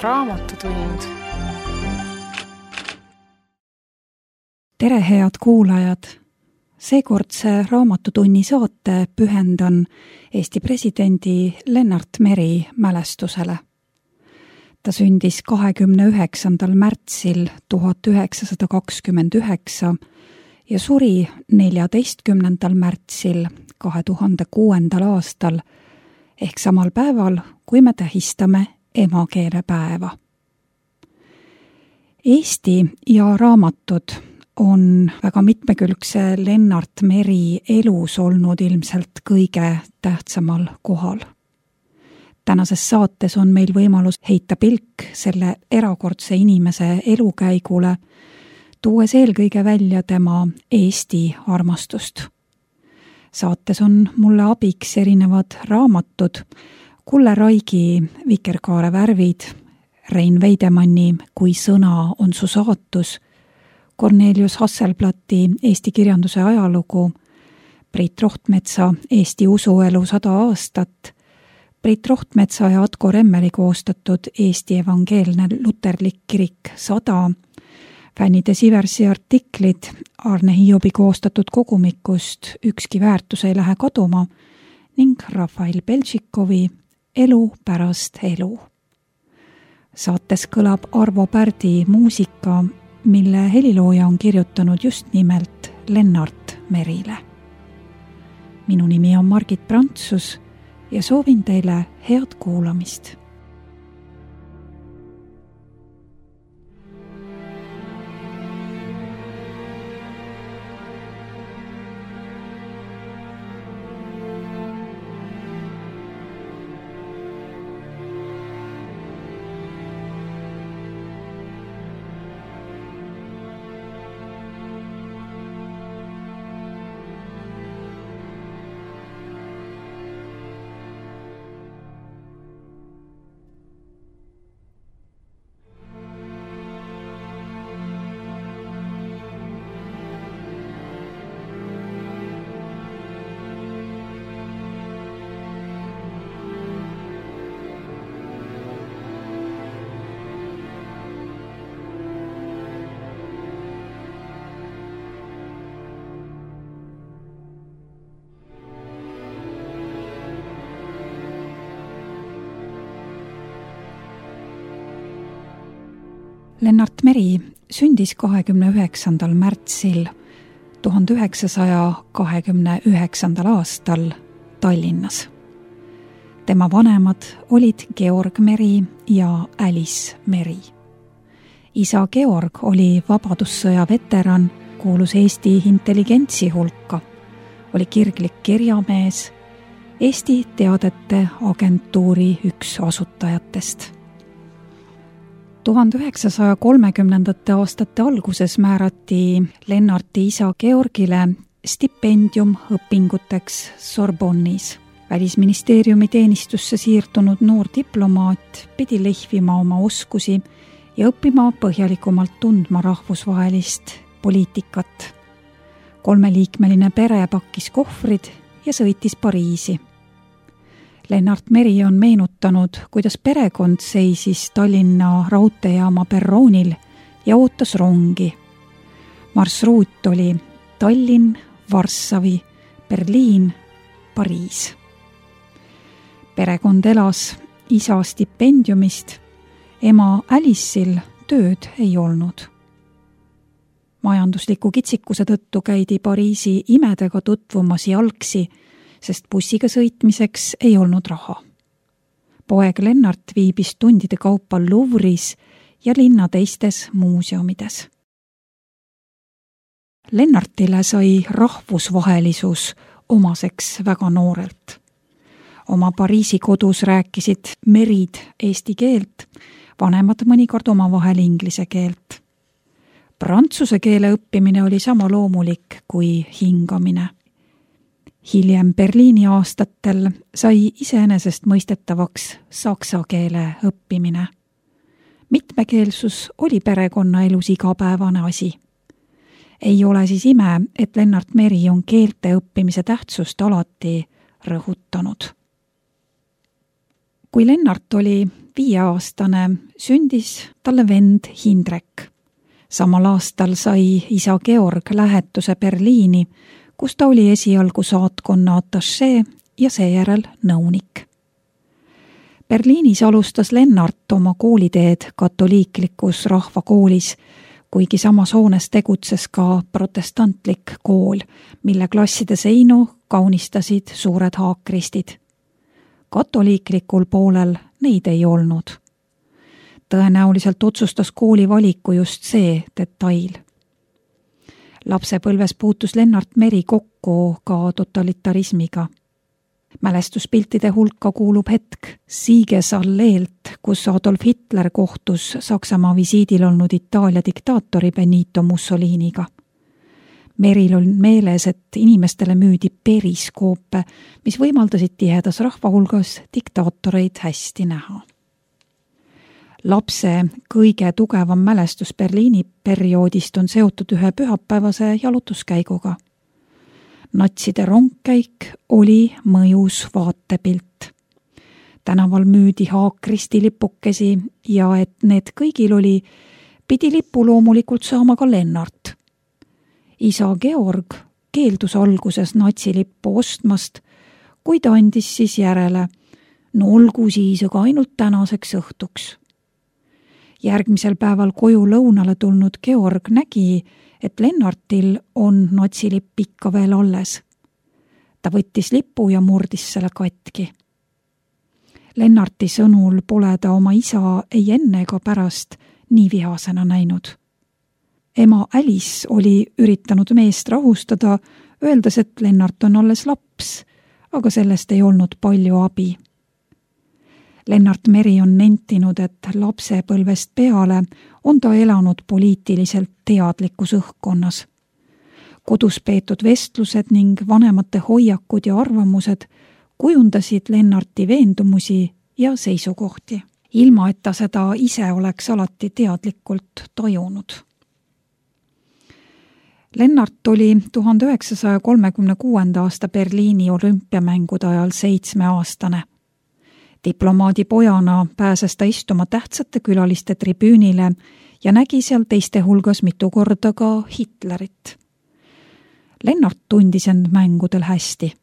Raamatutund. Tere, head kuulajad! Seekordse Raamatutunni saate pühendan Eesti presidendi Lennart Meri mälestusele. Ta sündis 29. märtsil 1929 ja suri 14. märtsil 2006. aastal ehk samal päeval, kui me tähistame emakeelepäeva. Eesti ja raamatud on väga mitmekülgse Lennart Meri elus olnud ilmselt kõige tähtsamal kohal. Tänases saates on meil võimalus heita pilk selle erakordse inimese elukäigule, tuues eelkõige välja tema Eesti armastust. Saates on mulle abiks erinevad raamatud, Kulle Raigi Vikerkaare värvid, Rein Veidemanni Kui sõna on su saatus, Kornelius Hasselblatti Eesti kirjanduse ajalugu, Priit Rohtmetsa Eesti usuelu 100 aastat, Priit Rohtmetsa ja Atko Remmeli koostatud Eesti evangeelne luterlik kirik 100, Fännide Siversi artiklid Arne Hiobi koostatud kogumikust Ükski väärtus ei lähe kaduma ning Rafael Beltšikovi Elu pärast elu. Saates kõlab Arvo Pärdi muusika, mille helilooja on kirjutanud just nimelt Lennart Merile. Minu nimi on Margit Prantsus ja soovin teile head kuulamist. Lennart Meri sündis 29. märtsil 1929. aastal Tallinnas. Tema vanemad olid Georg Meri ja Alice Meri. Isa Georg oli vabadussõja veteran, kuulus Eesti intelligentsi hulka, oli kirglik kirjamees, Eesti Teadete Agentuuri üks asutajatest. 1930. aastate alguses määrati Lennarti isa Georgile stipendium õpinguteks Sorbonnis. Välisministeeriumi teenistusse siirdunud noor diplomaat pidi lehvima oma oskusi ja õppima põhjalikumalt tundma rahvusvahelist poliitikat. 3-liikmeline pere pakkis kohvrid ja sõitis Pariisi. Lennart Meri on meenutanud, kuidas perekond seisis Tallinna raudteejaama perroonil ja ootas rongi. Marsruut oli Tallinn, Varssavi, Berliin, Pariis. Perekond elas isa stipendiumist, ema Alice'il tööd ei olnud. Majandusliku kitsikuse tõttu käidi Pariisi imedega tutvumas jalgsi, sest bussiga sõitmiseks ei olnud raha. Poeg Lennart viibis tundide kaupa Louvre'is ja linna teistes muuseumides. Lennartile sai rahvusvahelisus omaseks väga noorelt. Oma Pariisi kodus rääkisid Merid eesti keelt, vanemad mõnikord omavahel inglise keelt. Prantsuse keele õppimine oli sama loomulik kui hingamine. Hiljem Berliini aastatel sai iseenesest mõistetavaks saksa keele õppimine. Mitmekeelsus oli perekonnaelus igapäevane asi. Ei ole siis ime, et Lennart Meri on keelte õppimise tähtsust alati rõhutanud. Kui Lennart oli 5-aastane, sündis talle vend Hindrek. Samal aastal sai isa Georg lähetuse Berliini, kus ta oli esialgu saatkonna atašee ja seejärel nõunik. Berliinis alustas Lennart oma kooliteed katoliiklikus rahvakoolis, kuigi samas hoones tegutses ka protestantlik kool, mille klasside seinu kaunistasid suured haakristid. Katoliiklikul poolel neid ei olnud. Tõenäoliselt otsustas kooli valiku just see detail. Lapsepõlves puutus Lennart Meri kokku ka totalitarismiga. Mälestuspiltide hulka kuulub hetk Siegesalleelt, kus Adolf Hitler kohtus Saksamaa visiidil olnud Itaalia diktaatori Benito Mussoliniga. Meril on meeles, et inimestele müüdi periskoope, mis võimaldasid tihedas rahvahulgas diktaatoreid hästi näha. Lapse kõige tugevam mälestus Berliini perioodist on seotud ühe pühapäevase jalutuskäiguga. Natside rongkäik oli mõjus vaatepilt. Tänaval müüdi haakristi lipukesi ja et need kõigil oli, pidi lipu loomulikult saama ka Lennart. Isa Georg keeldus alguses natsilippu ostmast, kuid andis siis järele, no olgu siis aga ainult tänaseks õhtuks. Järgmisel päeval koju lõunale tulnud Georg nägi, et Lennartil on natsilipp ikka veel alles. Ta võttis lipu ja murdis selle katki. Lennarti sõnul pole ta oma isa ei enne ega pärast nii vihasena näinud. Ema Alice oli üritanud meest rahustada, öeldes, et Lennart on alles laps, aga sellest ei olnud palju abi. Lennart Meri on nentinud, et lapsepõlvest peale on ta elanud poliitiliselt teadlikus õhkkonnas. Kodus peetud vestlused ning vanemate hoiakud ja arvamused kujundasid Lennarti veendumusi ja seisukohti, ilma et ta seda ise oleks alati teadlikult tajunud. Lennart oli 1936. aasta Berliini olümpiamängude ajal 7-aastane. Diplomaadi pojana pääses ta istuma tähtsate külaliste tribüünile ja nägi seal teiste hulgas mitu korda ka Hitlerit. Lennart tundis end mängudel hästi.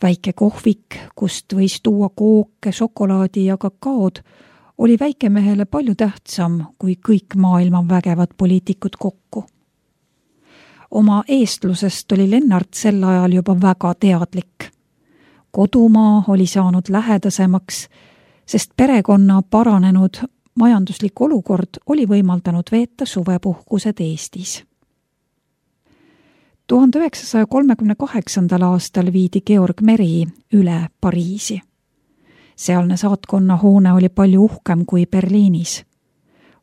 Väike kohvik, kust võis tuua kooke, šokolaadi ja kakaod, oli väikemehele palju tähtsam kui kõik maailma vägevad poliitikud kokku. Oma eestlusest oli Lennart sel ajal juba väga teadlik. Kodumaa oli saanud lähedasemaks, sest perekonna paranenud majanduslik olukord oli võimaldanud veeta suvepuhkused Eestis. 1938. aastal viidi Georg Meri üle Pariisi. Sealne saatkonna hoone oli palju uhkem kui Berliinis.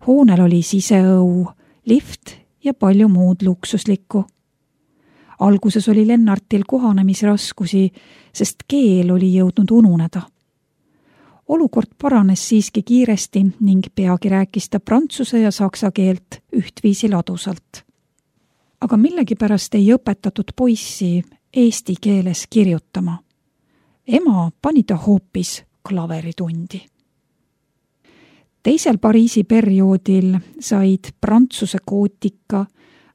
Hoonel oli siseõu, lift ja palju muud luksuslikku. Alguses oli Lennartil kohanemisraskusi, sest keel oli jõudnud ununeda. Olukord paranes siiski kiiresti ning peagi rääkis ta prantsuse ja saksa keelt ühtviisi ladusalt. Aga millegipärast ei õpetatud poissi eesti keeles kirjutama. Ema pani ta hoopis klaveritundi. Teisel Pariisi perioodil said Prantsuse gootika,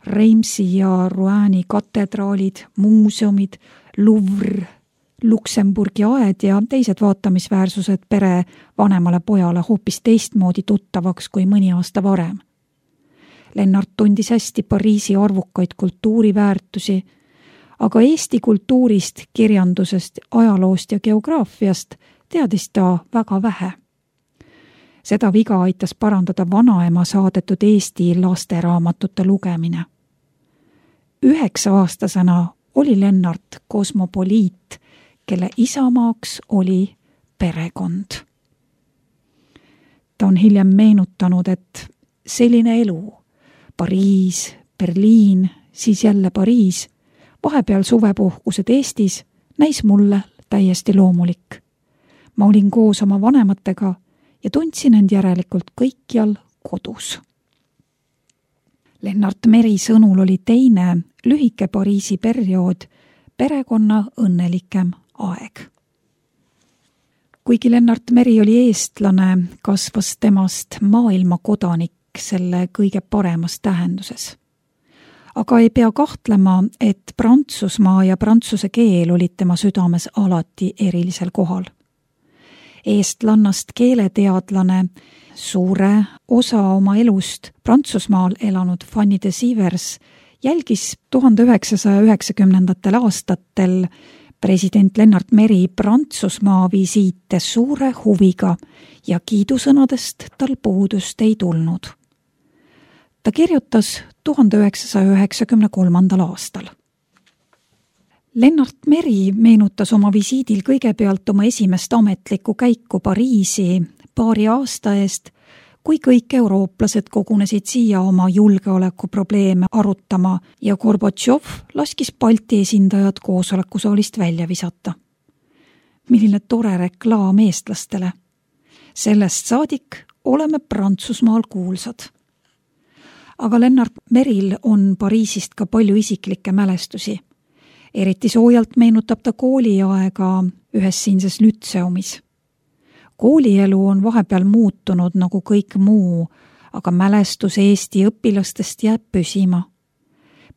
Reimsi ja Roueni katedraalid, muuseumid, Louvre, Luksemburgi aed ja teised vaatamisväärsused pere vanemale pojale hoopis teistmoodi tuttavaks kui mõni aasta varem. Lennart tundis hästi Pariisi arvukaid kultuuriväärtusi, aga Eesti kultuurist, kirjandusest, ajaloost ja geograafiast teadis ta väga vähe. Seda viga aitas parandada vanaema saadetud Eesti lasteraamatute lugemine. 9-aastasena oli Lennart kosmopoliit, kelle isamaaks oli perekond. Ta on hiljem meenutanud, et selline elu, Pariis, Berliin, siis jälle Pariis, vahepeal suvepuhkused Eestis, näis mulle täiesti loomulik. Ma olin koos oma vanematega ja tundsin end järelikult kõikjal kodus. Lennart Meri sõnul oli teine, lühike Pariisi periood perekonna õnnelikem aeg. Kuigi Lennart Meri oli eestlane, kasvas temast maailmakodanik selle kõige paremas tähenduses. Aga ei pea kahtlema, et Prantsusmaa ja prantsuse keel olid tema südames alati erilisel kohal. Eestlannast keeleteadlane, suure osa oma elust Prantsusmaal elanud Fanny de Sievers jälgis 1990. aastatel president Lennart Meri Prantsusmaa visiite suure huviga ja kiidusõnadest tal puudust ei tulnud. Ta kirjutas 1993. aastal. Lennart Meri meenutas oma visiidil kõigepealt oma esimest ametlikku käiku Pariisi paari aasta eest, kui kõik eurooplased kogunesid siia oma julgeolekuprobleeme arutama ja Gorbatšov laskis Balti esindajad koosolekusaalist välja visata. Milline tore reklaam eestlastele. Sellest saadik oleme Prantsusmaal kuulsad. Aga Lennart Meril on Pariisist ka palju isiklikke mälestusi. Eriti soojalt meenutab ta kooliaega ühes siinses lütseumis. Koolielu on vahepeal muutunud nagu kõik muu, aga mälestus Eesti õpilastest jääb püsima.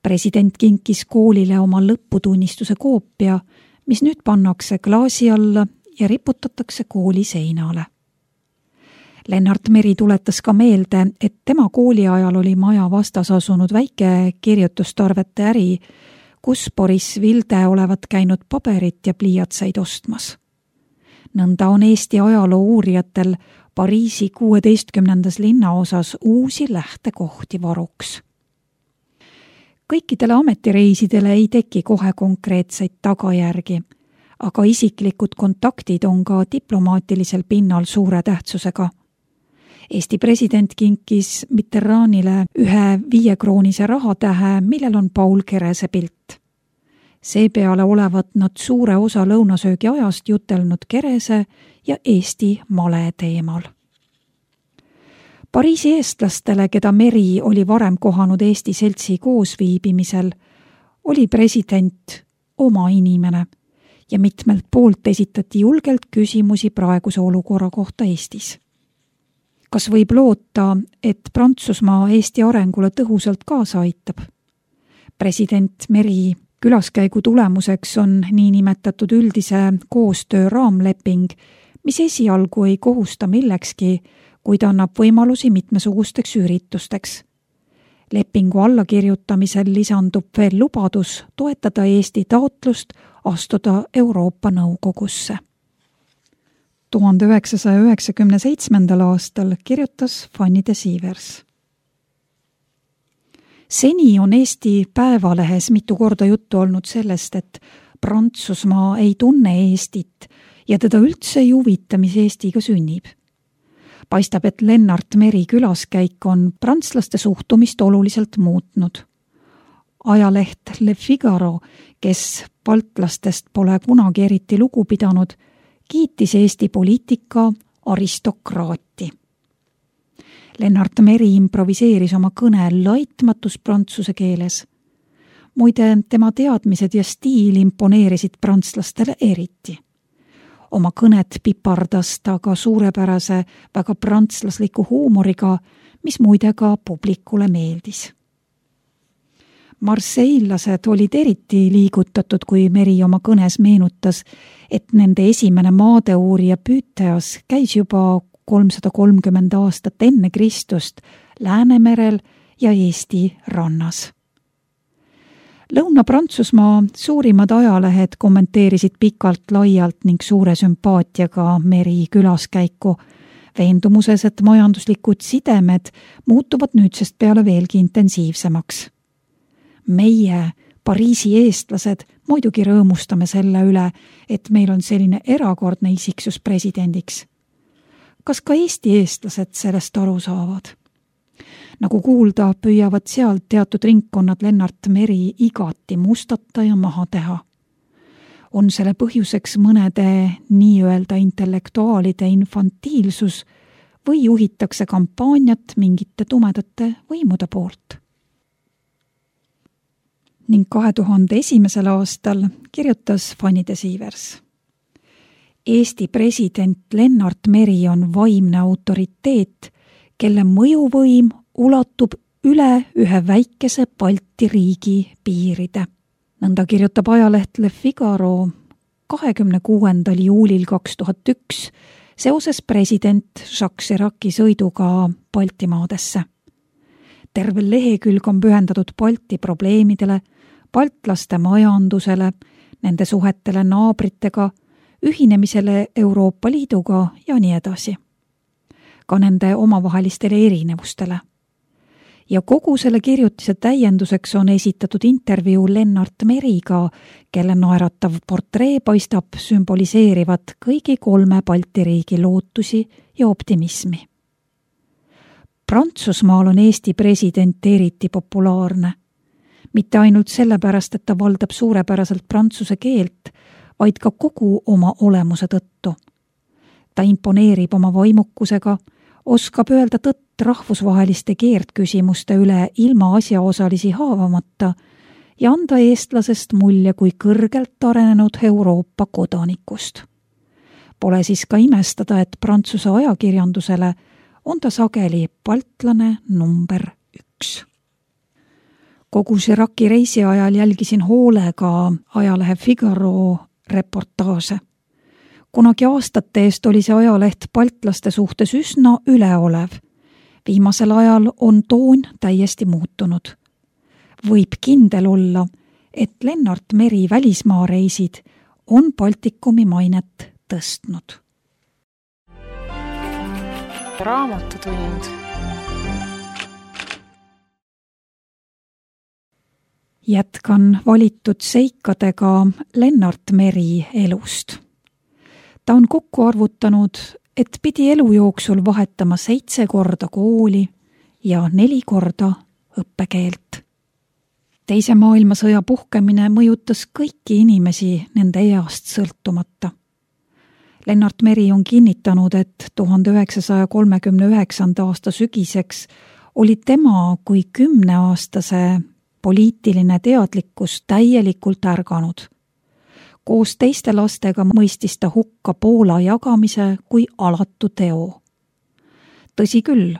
President kinkis koolile oma lõputunnistuse koopia, mis nüüd pannakse klaasi alla ja riputatakse kooli seinale. Lennart Meri tuletas ka meelde, et tema kooliajal oli maja vastas asunud väike kirjutustarvete äri, kus Boris Vilde olevat käinud paberit ja pliiatsaid ostmas. Nõnda on Eesti ajaloo uurijatel Pariisi 16. linnaosas uusi lähtekohti varuks. Kõikidele ametireisidele ei teki kohe konkreetseid tagajärgi, aga isiklikud kontaktid on ka diplomaatilisel pinnal suure tähtsusega. Eesti president kinkis Mitterrandile ühe 5-kroonise rahatähe, millel on Paul Kerese pilt. Seepeale olevat nad suure osa lõunasöögi ajast jutelnud Kerese ja Eesti male teemal. Pariisi eestlastele, keda Meri oli varem kohanud Eesti seltsi koosviibimisel, oli president oma inimene ja mitmelt poolt esitati julgelt küsimusi praeguse olukorra kohta Eestis. Kas võib loota, et Prantsusmaa Eesti arengule tõhusalt kaasa aitab? President Meri külaskäigu tulemuseks on niinimetatud üldise koostöö raamleping, mis esialgu ei kohusta millekski, kuid annab võimalusi mitmesugusteks üritusteks. Lepingu allakirjutamisel lisandub veel lubadus toetada Eesti taotlust astuda Euroopa Nõukogusse. 1997. aastal kirjutas Fanny de Sievers. Seni on Eesti Päevalehes mitu korda juttu olnud sellest, et Prantsusmaa ei tunne Eestit ja teda üldse ei huvita, mis Eestiga sünnib. Paistab, et Lennart Meri külaskäik on prantslaste suhtumist oluliselt muutnud. Ajaleht Le Figaro, kes baltlastest pole kunagi eriti lugu pidanud, kiitis Eesti poliitika aristokraati. Lennart Meri improviseeris oma kõne laitmatus prantsuse keeles. Muide, tema teadmised ja stiil imponeerisid prantslastele eriti. Oma kõnet pipardas ta ka suurepärase, väga prantslasliku huumoriga, mis muide ka publikule meeldis. Marseillased olid eriti liigutatud, kui Meri oma kõnes meenutas, et nende esimene maadeuurija Püüteas käis juba 330 aastat enne Kristust Läänemerel ja Eesti rannas. Lõuna-Prantsusmaa suurimad ajalehed kommenteerisid pikalt-laialt ning suure sümpaatiaga Meri külaskäiku, veendumuses, et majanduslikud sidemed muutuvad nüüdsest peale veelgi intensiivsemaks. Meie, Pariisi eestlased, muidugi rõõmustame selle üle, et meil on selline erakordne isiksus presidendiks. Kas ka Eesti eestlased sellest aru saavad? Nagu kuulda, püüavad seal teatud ringkonnad Lennart Meri igati mustata ja maha teha. On selle põhjuseks mõnede nii-öelda intellektuaalide infantiilsus või juhitakse kampaaniat mingite tumedate võimude poolt. Ning 2001. aastal kirjutas Fanny de Sievers. Eesti president Lennart Meri on vaimne autoriteet, kelle mõjuvõim ulatub üle ühe väikese Balti riigi piiride. Nõnda kirjutab ajaleht Le Figaro 26. juulil 2001 seoses president Jacques Chiraci sõiduga Baltimaadesse. Terve lehekülg on pühendatud Balti probleemidele, baltlaste majandusele, nende suhetele naabritega, ühinemisele Euroopa Liiduga ja nii edasi. Ka nende omavahelistele erinevustele. Ja kogu selle kirjutise täienduseks on esitatud intervjuu Lennart Meriga, kelle naeratav portree paistab sümboliseerivat kõigi 3 Balti riigi lootusi ja optimismi. Prantsusmaal on Eesti president eriti populaarne. Mitte ainult sellepärast, et ta valdab suurepäraselt prantsuse keelt, vaid ka kogu oma olemuse tõttu. Ta imponeerib oma vaimukusega, oskab öelda tõtt rahvusvaheliste keerdküsimuste üle ilma asjaosalisi haavamata ja anda eestlasest mulje kui kõrgelt arenenud Euroopa kodanikust. Pole siis ka imestada, et Prantsuse ajakirjandusele on ta sageli baltlane number 1. Kogu Chiraci reisi ajal jälgisin hoolega ajalehe Figaro reportaase. Kunagi aastate eest oli see ajaleht baltlaste suhtes üsna üleolev. Viimasel ajal on toon täiesti muutunud. Võib kindel olla, et Lennart Meri välismaareisid on Baltikumi mainet tõstnud. Raamatutund. Jätkan valitud seikadega Lennart Meri elust. Ta on kokku arvutanud, et pidi elu jooksul vahetama 7 korda kooli ja 4 korda õppekeelt. Teise maailmasõja puhkemine mõjutas kõiki inimesi nende east sõltumata. Lennart Meri on kinnitanud, et 1939. aasta sügiseks oli tema kui 10-aastase poliitiline teadlikkus täielikult ärganud. Koos teiste lastega mõistis ta hukka Poola jagamise kui alatu teo. Tõsi küll,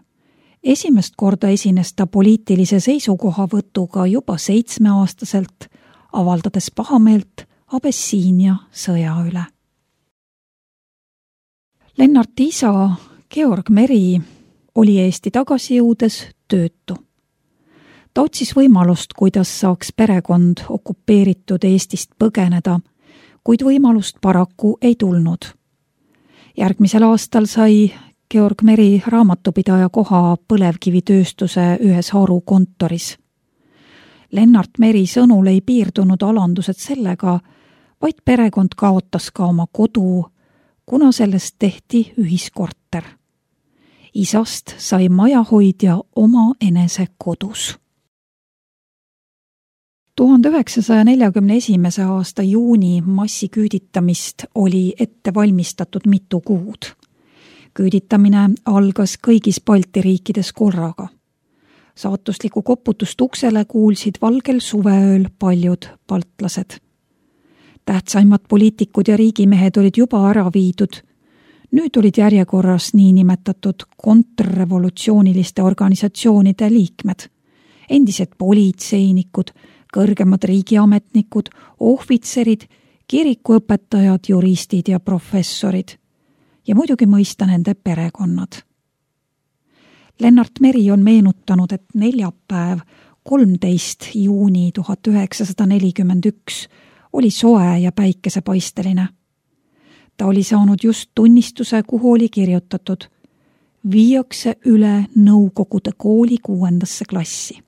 esimest korda esines ta poliitilise seisukohavõtuga juba 7-aastaselt, avaldades pahameelt Abessiinia sõja üle. Lennarti isa Georg Meri oli Eesti tagasi jõudes töötu. Ta otsis võimalust, kuidas saaks perekond okupeeritud Eestist põgeneda, kuid võimalust paraku ei tulnud. Järgmisel aastal sai Georg Meri raamatupidaja koha põlevkivitööstuse ühes harukontoris. Lennart Meri sõnul ei piirdunud alandused sellega, vaid perekond kaotas ka oma kodu, kuna sellest tehti ühiskorter. Isast sai majahoidja oma enese kodus. 1941. aasta juuni massiküüditamist oli ette valmistatud mitu kuud. Küüditamine algas kõigis Balti riikides korraga. Saatuslikku koputust uksele kuulsid valgel suveööl paljud baltlased. Tähtsaimad poliitikud ja riigimehed olid juba ära viidud. Nüüd olid järjekorras niinimetatud kontrrevolutsiooniliste organisatsioonide liikmed, endised politseinikud, kõrgemad riigiametnikud, ohvitserid, kirikuõpetajad, juristid ja professorid ja muidugi mõista nende perekonnad. Lennart Meri on meenutanud, et neljapäev 13. juuni 1941 oli soe ja päikesepaisteline. Ta oli saanud just tunnistuse, kuhu oli kirjutatud: viiakse üle Nõukogude kooli 6. klassi.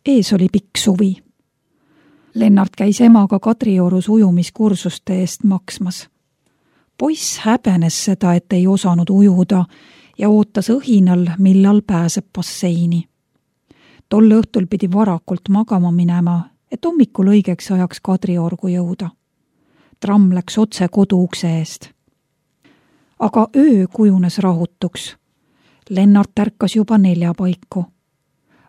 Ees oli pikk suvi. Lennart käis emaga Kadriorus ujumiskursuste eest maksmas. Poiss häbenes seda, et ei osanud ujuda ja ootas õhinal, millal pääseb basseini. Tol õhtul pidi varakult magama minema, et hommikul õigeks ajaks Kadriorgu jõuda. Tramm läks otse koduukse eest. Aga öö kujunes rahutuks. Lennart ärkas juba 4 paiku.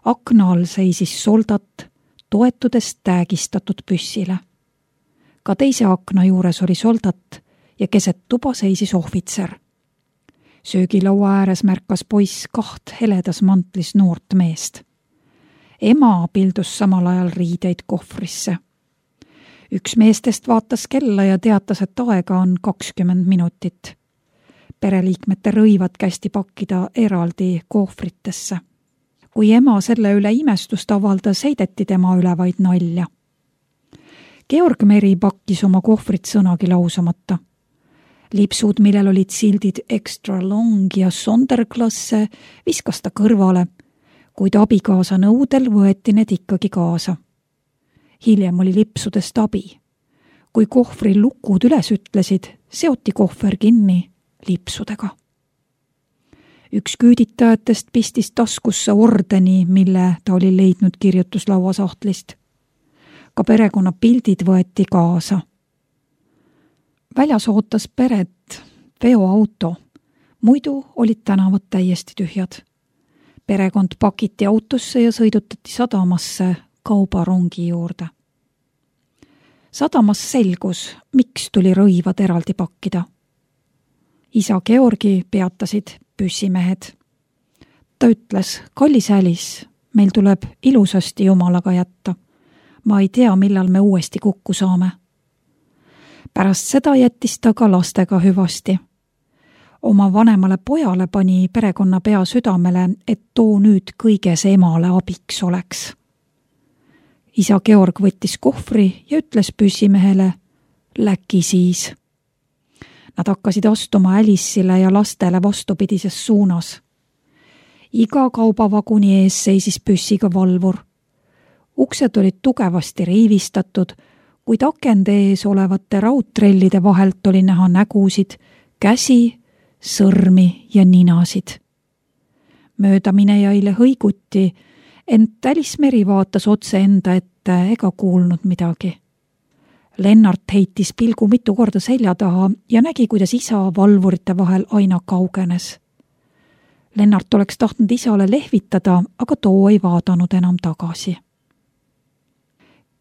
Akna all seisis soldat, toetudes täägistatud püssile. Ka teise akna juures oli soldat ja keset tuba seisis ohvitser. Söögilaua ääres märkas poiss 2 heledas mantlis noort meest. Ema pildus samal ajal riideid kohvrisse. Üks meestest vaatas kella ja teatas, et aega on 20 minutit. Pereliikmete rõivad kästi pakkida eraldi kohvritesse. Kui ema selle üle imestust avaldas, heideti tema üle vaid nalja. Georg Meri pakkis oma kohvrit sõnagi lausamata. Lipsud, millel olid sildid extra long ja Sonderklasse, viskas ta kõrvale, kuid abikaasa nõudel võeti need ikkagi kaasa. Hiljem oli lipsudest abi. Kui kohvri lukud üles ütlesid, seoti kohver kinni lipsudega. Üks küüditajatest pistis taskusse ordeni, mille ta oli leidnud kirjutuslaua sahtlist. Ka perekonna pildid võeti kaasa. Väljas ootas peret veoauto, muidu olid tänavad täiesti tühjad. Perekond pakiti autosse ja sõidutati sadamasse kaubarongi juurde. Sadamas selgus, miks tuli rõivad eraldi pakkida. Isa Georgi peatasid püssimehed. Ta ütles, kallis Alice, meil tuleb ilusasti Jumalaga jätta. Ma ei tea, millal me uuesti kokku saame. Pärast seda jättis ta ka lastega hüvasti. Oma vanemale pojale pani perekonna pea südamele, et too nüüd kõiges emale abiks oleks. Isa Georg võttis kohvri ja ütles püssimehele, läki siis. Nad hakkasid astuma Alice'ile ja lastele vastupidises suunas. Iga kaubavaguni ees seisis püssiga valvur. Uksed olid tugevasti riivistatud, kuid akende ees olevate raudtrellide vahelt oli näha nägusid, käsi, sõrmi ja ninasid. Möödaminejaile hõiguti, ent Alice Meri vaatas otse enda ette ega kuulnud midagi. Lennart heitis pilgu mitu korda selja taha ja nägi, kuidas isa valvurite vahel aina kaugenes. Lennart oleks tahtnud isale lehvitada, aga too ei vaadanud enam tagasi.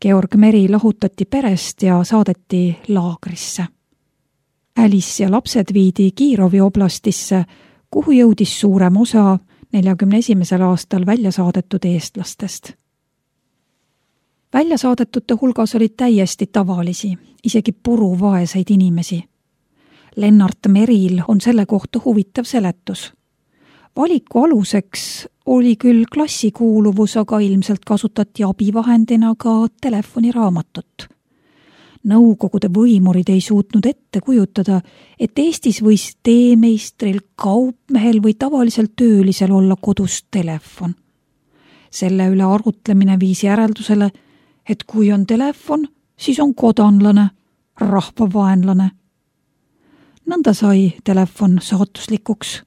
Georg Meri lahutati perest ja saadeti laagrisse. Alice ja lapsed viidi Kirovi oblastisse, kuhu jõudis suurem osa 41. aastal välja saadetud eestlastest. Välja saadetute hulgas olid täiesti tavalisi, isegi puruvaeseid inimesi. Lennart Meril on selle kohta huvitav seletus. Valiku aluseks oli küll klassikuuluvus, aga ilmselt kasutati abivahendina ka telefoniraamatut. Nõukogude võimurid ei suutnud ette kujutada, et Eestis võis teemeistril, kaupmehel või tavalisel töölisel olla kodus telefon. Selle üle arutlemine viis järeldusele, et kui on telefon, siis on kodanlane, rahvavaenlane. Nõnda sai telefon saatuslikuks.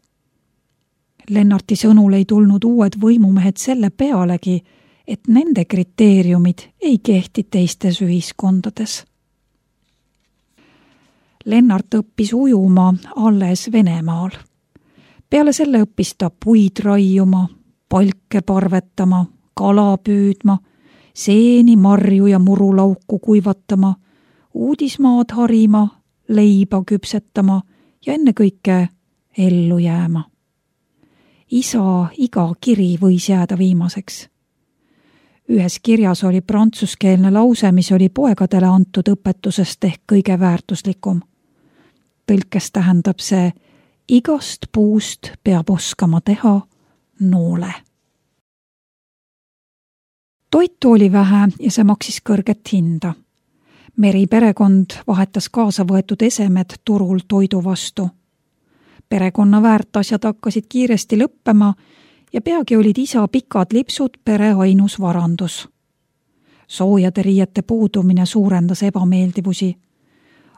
Lennarti sõnul ei tulnud uued võimumehed selle pealegi, et nende kriteeriumid ei kehti teistes ühiskondades. Lennart õppis ujuma alles Venemaal. Peale selle õppis ta puid raiuma, palke parvetama, kala püüdma, seeni, marju ja murulauku kuivatama, uudismaad harima, leiba küpsetama ja ennekõike ellu jääma. Isa iga kiri võis jääda viimaseks. Ühes kirjas oli prantsuskeelne lause, mis oli poegadele antud õpetusest ehk kõige väärtuslikum. Tõlkes tähendab see, igast puust peab oskama teha noole. Toitu oli vähe ja see maksis kõrget hinda. Meri perekond vahetas kaasa võetud esemed turul toidu vastu. Perekonna väärtasjad hakkasid kiiresti lõppema ja peagi olid isa pikad lipsud pere ainus varandus. Soojade riiete puudumine suurendas ebameeldivusi.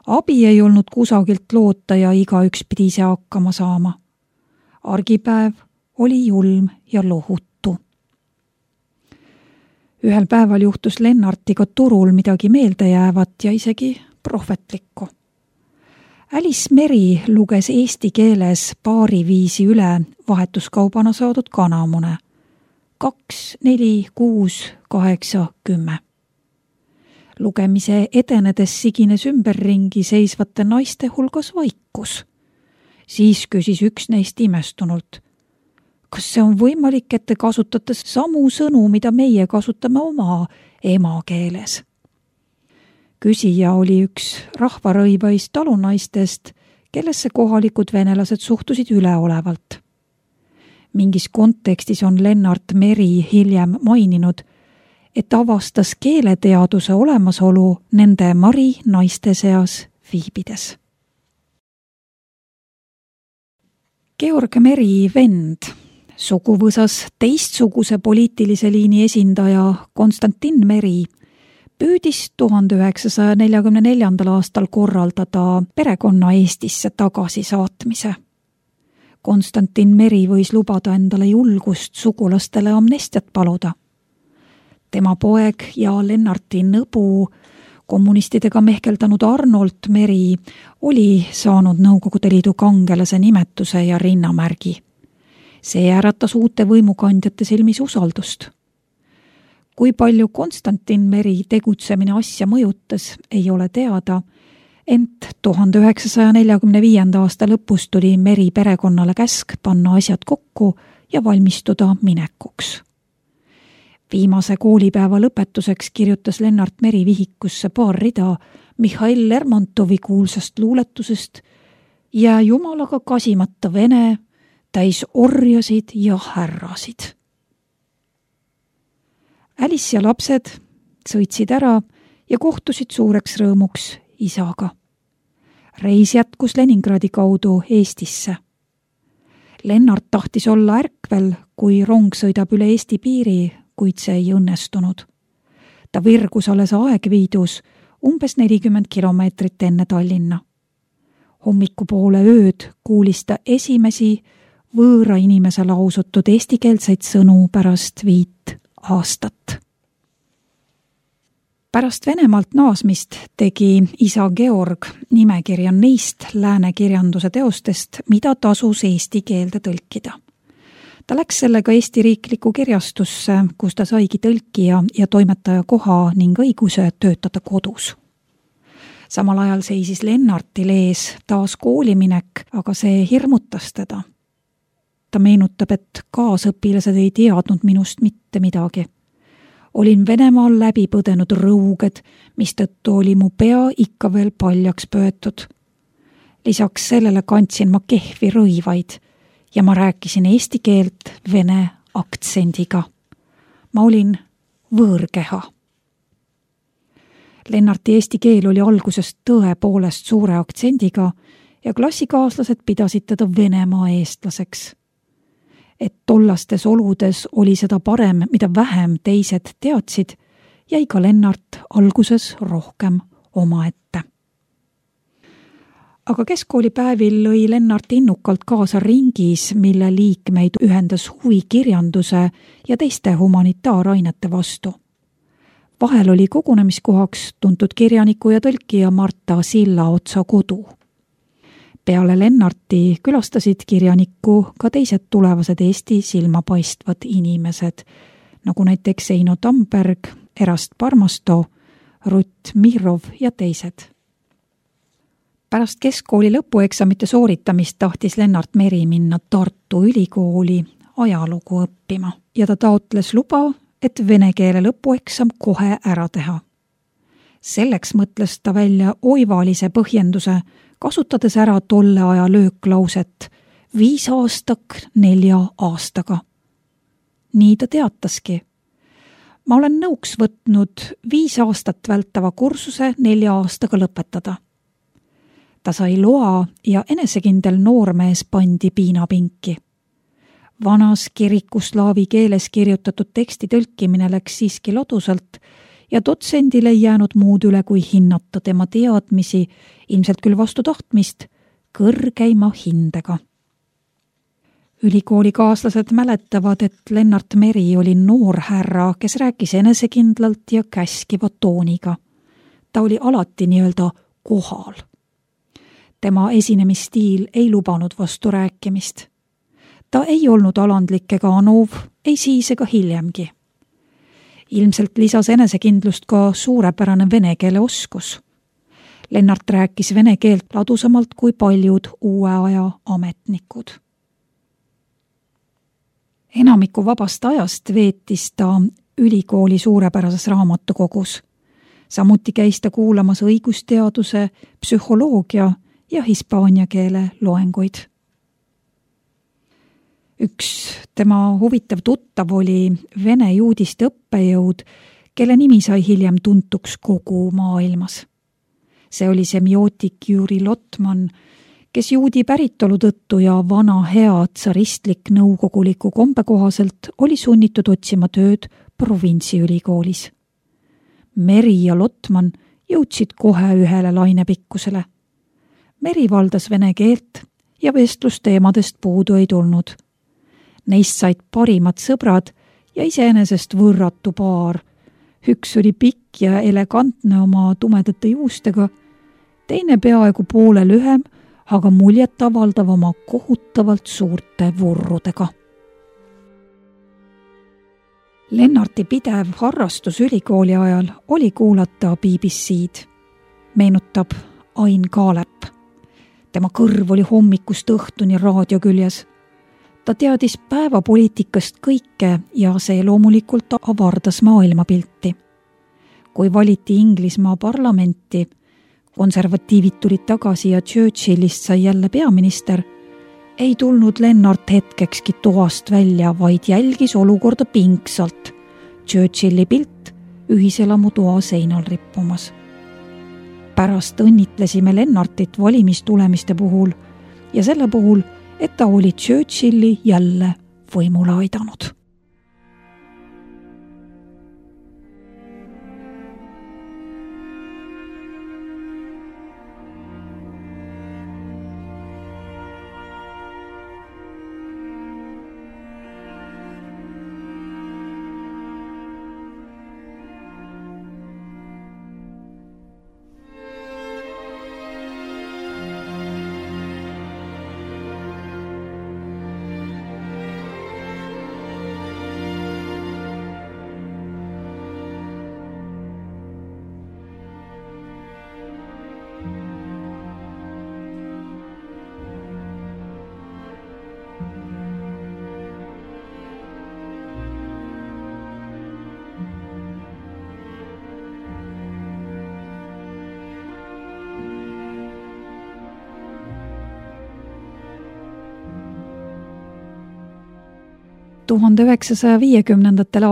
Abi ei olnud kusagilt loota ja igaüks pidi ise hakkama saama. Argipäev oli julm ja lohutu. Ühel päeval juhtus Lennartiga turul midagi meeldejäävat ja isegi prohvetlikku. Alice Meri luges eesti keeles paari viisi üle vahetuskaubana saadud kanamune. 2, 4, 6, 8, 10. Lugemise edenedes sigines ümberringi seisvate naiste hulgas vaikus. Siis küsis üks neist imestunult. Kas see on võimalik, et te kasutate samu sõnu, mida meie kasutame oma emakeeles? Küsija oli üks rahvarõivaist talunaistest, kellesse kohalikud venelased suhtusid üleolevalt. Mingis kontekstis on Lennart Meri hiljem maininud, et avastas keeleteaduse olemasolu nende mari naiste seas viibides. Georg Meri vend, suguvõsas teistsuguse poliitilise liini esindaja Konstantin Meri, püüdis 1944. aastal korraldada perekonna Eestisse tagasisaatmise. Konstantin Meri võis lubada endale julgust sugulastele amnestiat paluda. Tema poeg ja Lennarti nõbu, kommunistidega mehkeldanud Arnold Meri, oli saanud Nõukogude Liidu kangelase nimetuse ja rinnamärgi. See äratas uute võimukandjate silmis usaldust. Kui palju Konstantin Meri tegutsemine asja mõjutas, ei ole teada, ent 1945. aasta lõpus tuli Meri perekonnale käsk panna asjad kokku ja valmistuda minekuks. Viimase koolipäeva lõpetuseks kirjutas Lennart Meri vihikusse paar rida Mihhail Lermontovi kuulsast luuletusest ja jumalaga kasimata vene, täis orjasid ja härrasid. Alice ja lapsed sõitsid ära ja kohtusid suureks rõõmuks isaga. Reis jätkus Leningradi kaudu Eestisse. Lennart tahtis olla ärkvel, kui rong sõidab üle Eesti piiri, kuid see ei õnnestunud. Ta virgus alles Aegviidus umbes 40 kilomeetrit enne Tallinna. Hommikupoole ööd kuulis ta esimesi võõra inimese lausutud eestikeelseid sõnu pärast 5 aastat. Pärast Venemaalt naasmist tegi isa Georg nimekirja neist lääne kirjanduse teostest, mida tasus eesti keelde tõlkida. Ta läks sellega Eesti riiklikku kirjastusse, kus ta saigi tõlkija ja toimetaja koha ning õiguse töötada kodus. Samal ajal seisis Lennartil ees taas kooliminek, aga see hirmutas teda. Ta meenutab, et kaasõpilased ei teadnud minust mitte midagi. Olin Venemaal läbi põdenud rõuged, mistõttu oli mu pea ikka veel paljaks pöötud. Lisaks sellele kandsin ma kehvi rõivaid ja ma rääkisin eesti keelt vene aktsendiga. Ma olin võõrkeha. Lennarti eesti keel oli algusest tõepoolest suure aktsendiga ja klassikaaslased pidasid teda Venemaa eestlaseks. Et tollastes oludes oli seda parem, mida vähem teised teadsid, jäi ka Lennart alguses rohkem omaette. Aga keskkoolipäevil lõi Lennart innukalt kaasa ringis, mille liikmeid ühendas huvi kirjanduse ja teiste humanitaarainete vastu. Vahel oli kogunemiskohaks tuntud kirjaniku ja tõlkija Marta Sillaotsa kodu. Peale Lennarti külastasid kirjanikku ka teised tulevased Eesti silmapaistvad inimesed, nagu näiteks Eino Tamberg, Erast Parmasto, Rutt Mihrov ja teised. Pärast keskkooli lõpueksamite sooritamist tahtis Lennart Meri minna Tartu Ülikooli ajalugu õppima ja ta taotles luba, et vene keele lõpueksam kohe ära teha. Selleks mõtles ta välja oivalise põhjenduse, kasutades ära tolle aja lööklauset 5 aastak 4 aastaga. Nii ta teataski. Ma olen nõuks võtnud 5 aastat vältava kursuse 4 aastaga lõpetada. Ta sai loa ja enesekindel noormees pandi piinapinki. Vanas kirikuslaavi keeles kirjutatud teksti tõlkimine läks siiski ladusalt ja dotsendile ei jäänud muud üle, kui hinnata tema teadmisi, ilmselt küll vastu tahtmist, kõrgeima hindega. Ülikoolikaaslased mäletavad, et Lennart Meri oli noor härra, kes rääkis enesekindlalt ja käskiva tooniga. Ta oli alati nii-öelda kohal. Tema esinemisstiil ei lubanud vastu rääkimist. Ta ei olnud alandlik ega anov, ei siis ega hiljemgi. Ilmselt lisas enesekindlust ka suurepärane vene keele oskus. Lennart rääkis vene keelt ladusamalt kui paljud uue aja ametnikud. Enamiku vabast ajast veetis ta ülikooli suurepärases raamatukogus. Samuti käis ta kuulamas õigusteaduse, psühholoogia ja hispaania keele loenguid. Üks tema huvitav tuttav oli vene juudiste õppejõud, kelle nimi sai hiljem tuntuks kogu maailmas. See oli semiootik Juri Lotman, kes juudi päritolu tõttu ja vana hea tsaristlik nõukoguliku kombe kohaselt oli sunnitud otsima tööd provintsiülikoolis. Meri ja Lotman jõudsid kohe ühele lainepikkusele. Meri valdas vene keelt ja vestlusteemadest puudu ei tulnud. Neist said parimad sõbrad ja iseenesest võrratu paar. Üks oli pikk ja elegantne oma tumedate juustega, teine peaaegu poole lühem, aga muljet avaldav oma kohutavalt suurte vurrudega. Lennarti pidev harrastus ülikooli ajal oli kuulata BBC-d. Meenutab Ain Kaalep. Tema kõrv oli hommikust õhtuni raadio küljes. Ta teadis päevapoliitikast kõike ja see loomulikult avardas maailmapilti. Kui valiti Inglismaa parlamenti, konservatiivid tulid tagasi ja Churchillist sai jälle peaminister, ei tulnud Lennart hetkekski toast välja, vaid jälgis olukorda pingsalt. Churchilli pilt ühiselamu toa seinal rippumas. Pärast õnnitlesime Lennartit valimistulemiste puhul ja selle puhul, et ta oli Churchilli jälle võimule aidanud.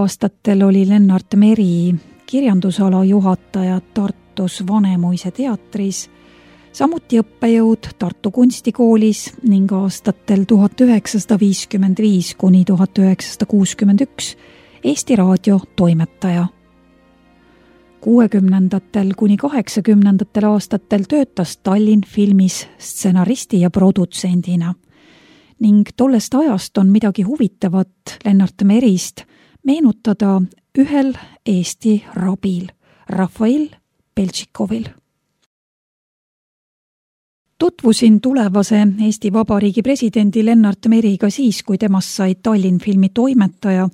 aastatel oli Lennart Meri kirjandusala juhataja Tartus Vanemuise teatris, samuti õppejõud Tartu Kunstikoolis ning aastatel 1955 kuni 1961 Eesti Raadio toimetaja. 60. kuni 80. aastatel töötas Tallinn filmis stsenaristi ja produtsendina. Ning tollest ajast on midagi huvitavat Lennart Merist meenutada ühel Eesti rabil, Rafael Beltšikovil. Tutvusin tulevase Eesti Vabariigi presidendi Lennart Meriga siis, kui temast sai Tallinn filmi toimetaja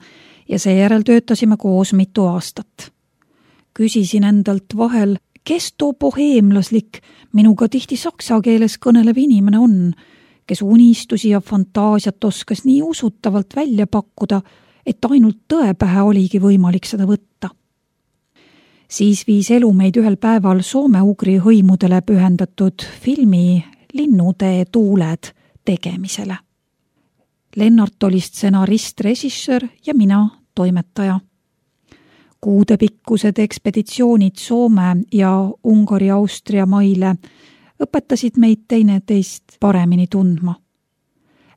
ja seejärel töötasime koos mitu aastat. Küsisin endalt vahel, kes too boheemlaslik, minuga tihti saksa keeles kõnelev inimene on, kes unistusi ja fantaasiat oskas nii usutavalt välja pakkuda, et ainult tõe pähe oligi võimalik seda võtta. Siis viis elu meid ühel päeval soome-ugri hõimudele pühendatud filmi Linnutee tuuled tegemisele. Lennart oli stsenarist, režissöör ja mina toimetaja. Kuudepikkused ekspeditsioonid Soome ja Ungari-Austria maile õpetasid meid teineteist paremini tundma.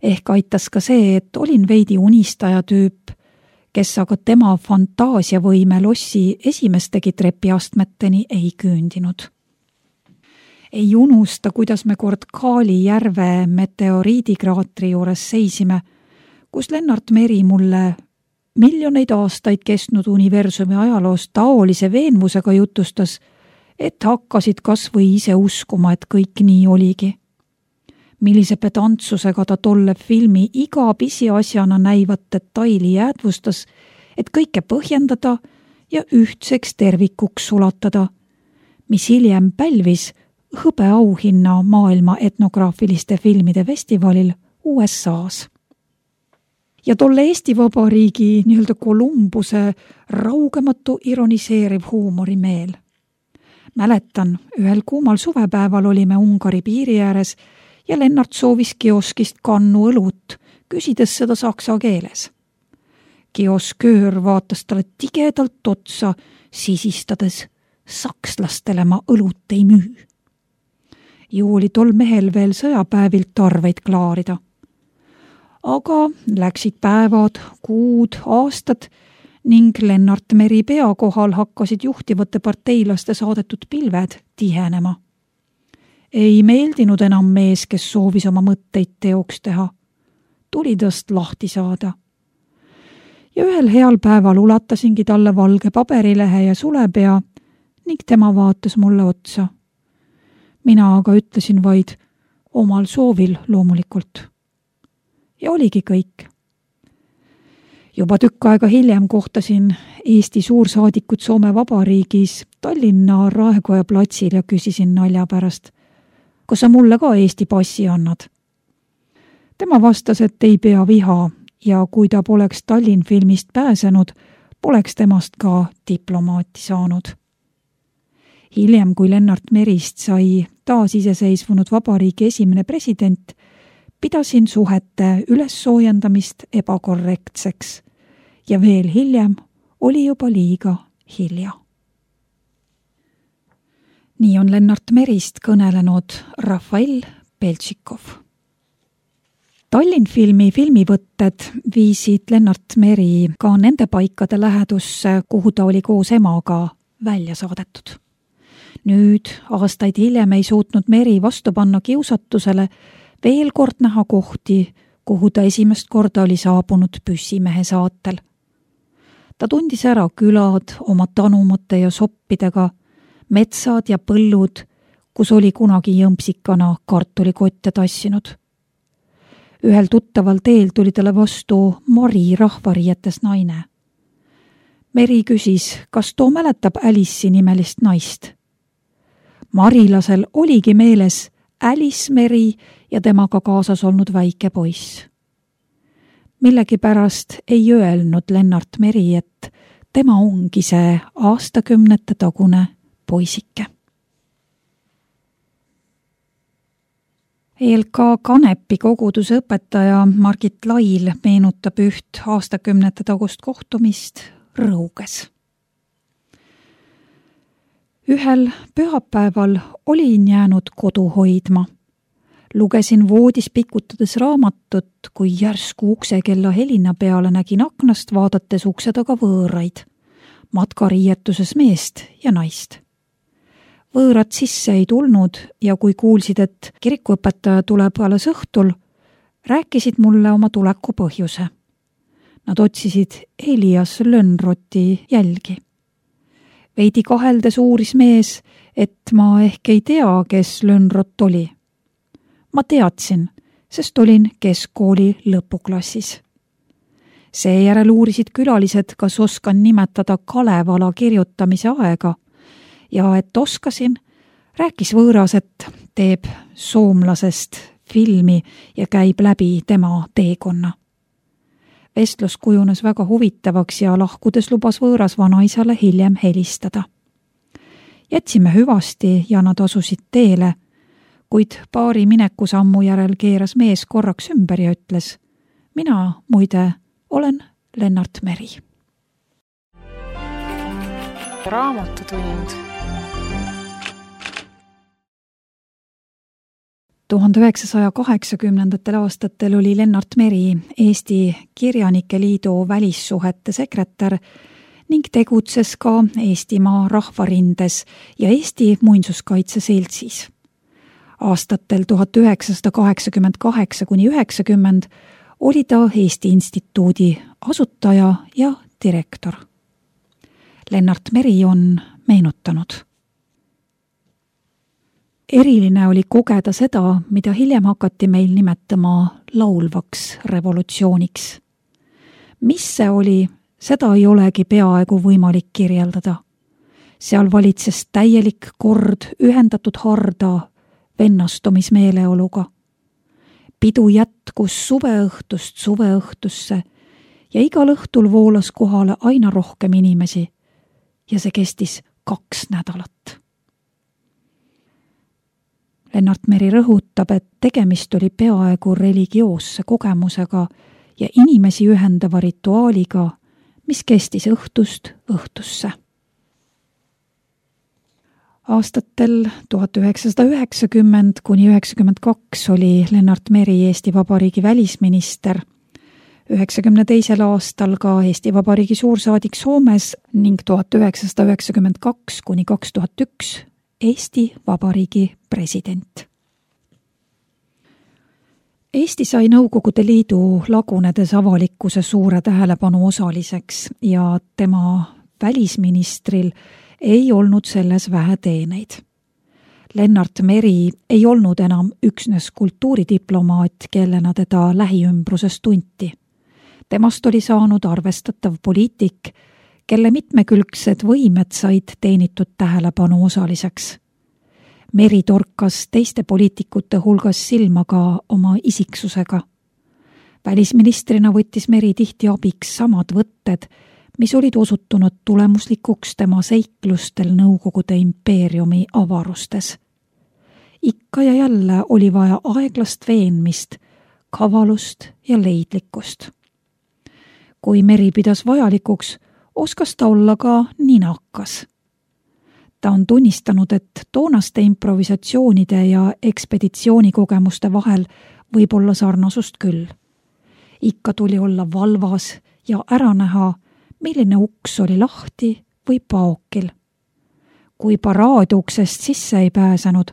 Ehk aitas ka see, et olin veidi unistaja tüüp, kes aga tema fantaasiavõime lossi esimestegi trepiastmeteni ei küündinud. Ei unusta, kuidas me kord Kaali järve meteoriidikraatri juures seisime, kus Lennart Meri mulle miljoneid aastaid kestnud universumi ajaloos taolise veenvusega jutustas, et hakkasid kas või ise uskuma, et kõik nii oligi. Millise pedantsusega ta tolle filmi iga pisiasjana näivat detaili jäädvustas, et kõike põhjendada ja ühtseks tervikuks sulatada, mis hiljem pälvis hõbeauhinna maailma etnograafiliste filmide festivalil USA-s. Ja tolle Eesti Vabariigi nii-öelda Kolumbuse raugematu ironiseeriv huumorimeel. Mäletan, ühel kuumal suvepäeval olime Ungari piiri ääres ja Lennart soovis kioskist kannu õlut, küsides seda saksa keeles. Kiosköör vaatas talle tigedalt otsa, sisistades, sakslastele ma õlut ei müü. Ju oli tol mehel veel sõjapäevilt arveid klaarida. Aga läksid päevad, kuud, aastad ning Lennart Meri pea kohal hakkasid juhtivate parteilaste saadetud pilved tihenema. Ei meeldinud enam mees, kes soovis oma mõtteid teoks teha. Tuli tast lahti saada. Ja ühel heal päeval ulatasingi talle valge paberilehe ja sulepea ning tema vaatas mulle otsa. Mina aga ütlesin vaid omal soovil loomulikult. Ja oligi kõik. Juba tükk aega hiljem kohtasin Eesti suursaadikut Soome Vabariigis Tallinna Raekoja platsil ja küsisin nalja pärast, kas sa mulle ka Eesti passi annad? Tema vastas, et ei pea viha ja kui ta poleks Tallinn filmist pääsenud, poleks temast ka diplomaati saanud. Hiljem, kui Lennart Merist sai taasiseseisvunud vabariigi esimene president, pidasin suhete ülessoojendamist ebakorrektseks ja veel hiljem oli juba liiga hilja. Nii on Lennart Merist kõnelenud Rafael Beltšikov. Tallinn filmi filmivõtted viisid Lennart Meri ka nende paikade lähedusse, kuhu ta oli koos emaga välja saadetud. Nüüd, aastaid hiljem ei suutnud Meri vastu panna kiusatusele veel kord näha kohti, kuhu ta esimest korda oli saabunud püssimehe saatel. Ta tundis ära külad oma tanumate ja soppidega, metsad ja põllud, kus oli kunagi jõmpsikana kartulikotte tassinud. Ühel tuttaval teel tuli talle vastu Mari rahvariietes naine. Meri küsis, kas too mäletab Alice'i nimelist naist. Marilasel oligi meeles Alice Meri ja temaga kaasas olnud väike poiss. Millegipärast ei öelnud Lennart Meri, et tema ongi see aastakümnete tagune poisike. ELK Kanepi koguduse õpetaja Margit Lail meenutab üht aastakümnete tagust kohtumist Rõuges. Ühel pühapäeval olin jäänud kodu hoidma. Lugesin voodis pikutades raamatut, kui järsku uksekella helina peale nägin aknast vaadates ukse taga võõraid, matkariietuses meest ja naist. Võõrad sisse ei tulnud ja kui kuulsid, et kirikuõpetaja tuleb alles õhtul, rääkisid mulle oma tuleku põhjuse. Nad otsisid Elias Lönnroti jälgi. Veidi kaheldes uuris mees, et ma ehk ei tea, kes Lönnrot oli. Ma teadsin, sest olin keskkooli lõpuklassis. Seejärel uurisid külalised, kas oskan nimetada Kalevala kirjutamise aega ja et oskasin, rääkis võõras, et teeb soomlasest filmi ja käib läbi tema teekonna. Vestlus kujunes väga huvitavaks ja lahkudes lubas võõras vanaisale hiljem helistada. Jätsime hüvasti ja nad asusid teele, kuid paari minekusammu järel keeras mees korraks ümber ja ütles, mina muide olen Lennart Meri. Raamatutund. 1980. aastatel oli Lennart Meri Eesti Kirjanike Liidu välissuhete sekretär ning tegutses ka Eestimaa Rahvarindes ja Eesti Muinsuskaitse Seltsis. Aastatel 1988–90 oli ta Eesti Instituudi asutaja ja direktor. Lennart Meri on meenutanud. Eriline oli kogeda seda, mida hiljem hakati meil nimetama laulvaks revolutsiooniks. Mis see oli, Seda ei olegi peaaegu võimalik kirjeldada. Seal valitses täielik kord ühendatud harda vennastumismeeleoluga. Pidu jätkus suveõhtust suveõhtusse ja igal õhtul voolas kohale aina rohkem inimesi ja see kestis 2 nädalat. Lennart Meri rõhutab, et tegemist oli peaaegu religioosse kogemusega ja inimesi ühendava rituaaliga, mis kestis õhtust õhtusse. Aastatel 1990 kuni 1992 oli Lennart Meri Eesti Vabariigi välisminister, 1992. aastal ka Eesti Vabariigi suursaadik Soomes ning 1992 kuni 2001 Eesti Vabariigi president. Eesti sai Nõukogude Liidu lagunedes avalikkuse suure tähelepanu osaliseks ja tema välisministril ei olnud selles vähe teeneid. Lennart Meri ei olnud enam üksnes kultuuridiplomaat, kellena teda lähiümbruses tunti. Temast oli saanud arvestatav poliitik, kelle mitmekülgsed võimed said teenitud tähelepanu osaliseks. Meri torkas teiste poliitikute hulgas silma ka oma isiksusega. Välisministrina võttis Meri tihti abiks samad võtted, mis olid osutunud tulemuslikuks tema seiklustel Nõukogude impeeriumi avarustes. Ikka ja jälle oli vaja aeglast veenmist, kavalust ja leidlikkust. Kui Meri pidas vajalikuks, oskas ta olla ka ninakas. Ta on tunnistanud, et toonaste improvisatsioonide ja ekspeditsioonikogemuste vahel võib olla sarnasust küll. Ikka tuli olla valvas ja ära näha, milline uks oli lahti või paokil. Kui paraadiuksest sisse ei pääsenud,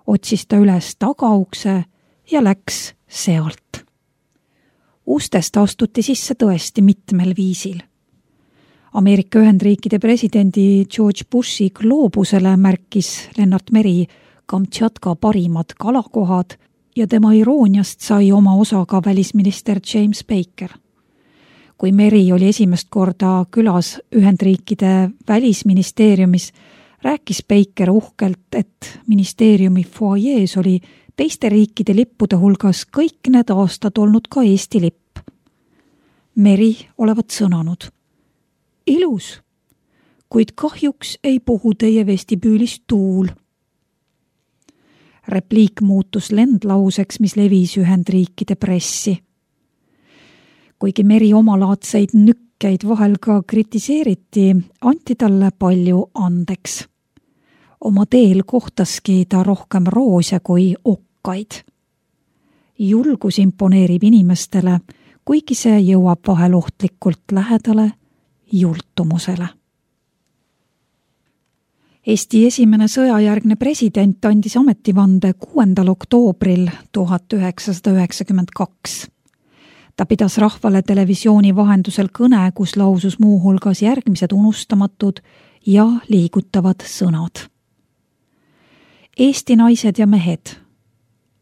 otsis ta üles tagaukse ja läks sealt. Ustest astuti sisse tõesti mitmel viisil. Ameerika Ühendriikide presidendi George Bushi gloobusele märkis Lennart Meri Kamtšatka parimad kalakohad ja tema irooniast sai oma osa ka välisminister James Baker. Kui Meri oli esimest korda külas Ühendriikide välisministeeriumis, rääkis Baker uhkelt, et ministeeriumi foajees oli teiste riikide lippude hulgas kõik need aastad olnud ka Eesti lipp. Meri olevat sõnanud: ilus, kuid kahjuks ei puhu teie vestibüülis tuul. Repliik muutus lendlauseks, mis levis Ühendriikide pressi. Kuigi Meri omalaadseid nükkeid vahel ka kritiseeriti, anti talle palju andeks. Oma teel kohtaski ta rohkem roose kui okkaid. Julgus imponeerib inimestele, kuigi see jõuab vahel ohtlikult lähedale jultumusele. Eesti esimene sõjajärgne president andis ametivande 6. oktoobril 1992. Ta pidas rahvale televisiooni vahendusel kõne, kus lausus muu hulgas järgmised unustamatud ja liigutavad sõnad. Eesti naised ja mehed,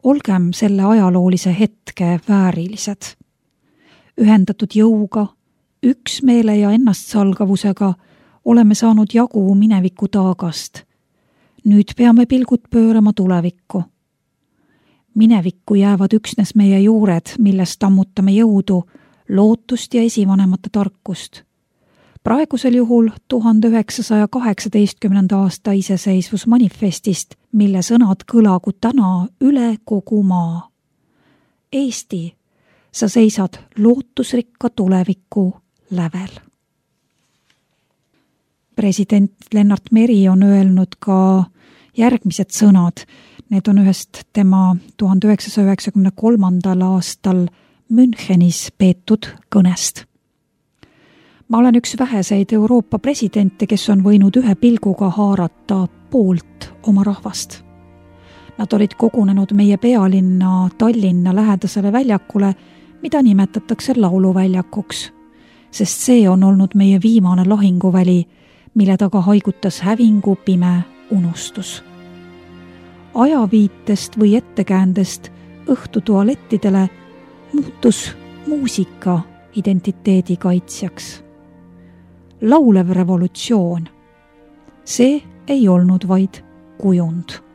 olgem selle ajaloolise hetke väärilised. Ühendatud jõuga, üksmeele ja ennastsalgavusega oleme saanud jagu mineviku taagast. Nüüd peame pilgud pöörama tulevikku. Minevikku jäävad üksnes meie juured, millest ammutame jõudu, lootust ja esivanemate tarkust. Praegusel juhul 1918. aasta iseseisvusmanifestist, mille sõnad kõlagu täna üle kogu maa. Eesti, sa seisad lootusrikka tuleviku lävel. President Lennart Meri on öelnud ka järgmised sõnad. Need on ühest tema 1993. aastal Münchenis peetud kõnest. Ma olen üks väheseid Euroopa presidente, kes on võinud ühe pilguga haarata poolt oma rahvast. Nad olid kogunenud meie pealinna Tallinna lähedasele väljakule, mida nimetatakse lauluväljakuks, sest see on olnud meie viimane lahinguväli, mille taga haigutas hävingu pime unustus. Ajaviitest või ettekäändest õhtu tualettidele muutus muusika identiteedi kaitsjaks. laulev revolutsioon. See ei olnud vaid kujund.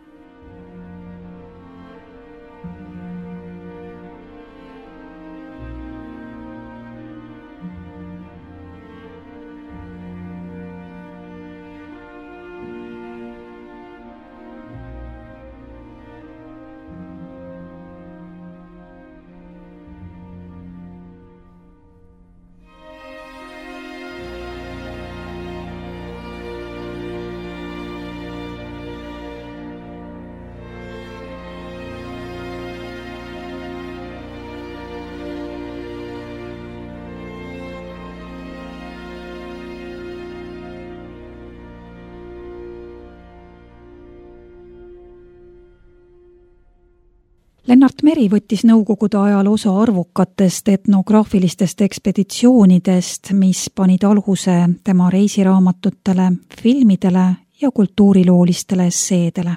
Lennart Meri võttis nõukogude ajal osa arvukatest etnograafilistest ekspeditsioonidest, mis panid aluse tema reisiraamatutele, filmidele ja kultuuriloolistele esseedele.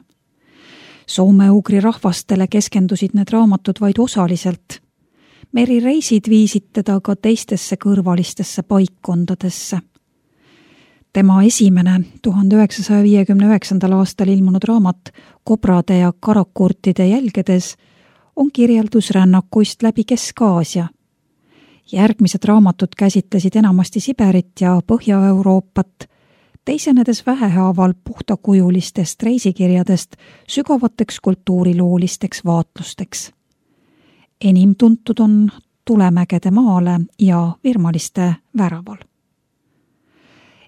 Soome-ugri rahvastele keskendusid need raamatud vaid osaliselt. Meri reisid viisid teda ka teistesse kõrvalistesse paikkondadesse. Tema esimene 1959. aastal ilmunud raamat Kobrade ja karakurtide jälgedes on kirjeldus rännakuist läbi Kesk-Aasia. Järgmised raamatud käsitlesid enamasti Siberit ja Põhja-Euroopat, teisenedes vähehaaval puhtakujulistest reisikirjadest sügavateks kultuuriloolisteks vaatlusteks. Enim tuntud on Tulemägede maale ja Virmaliste väraval.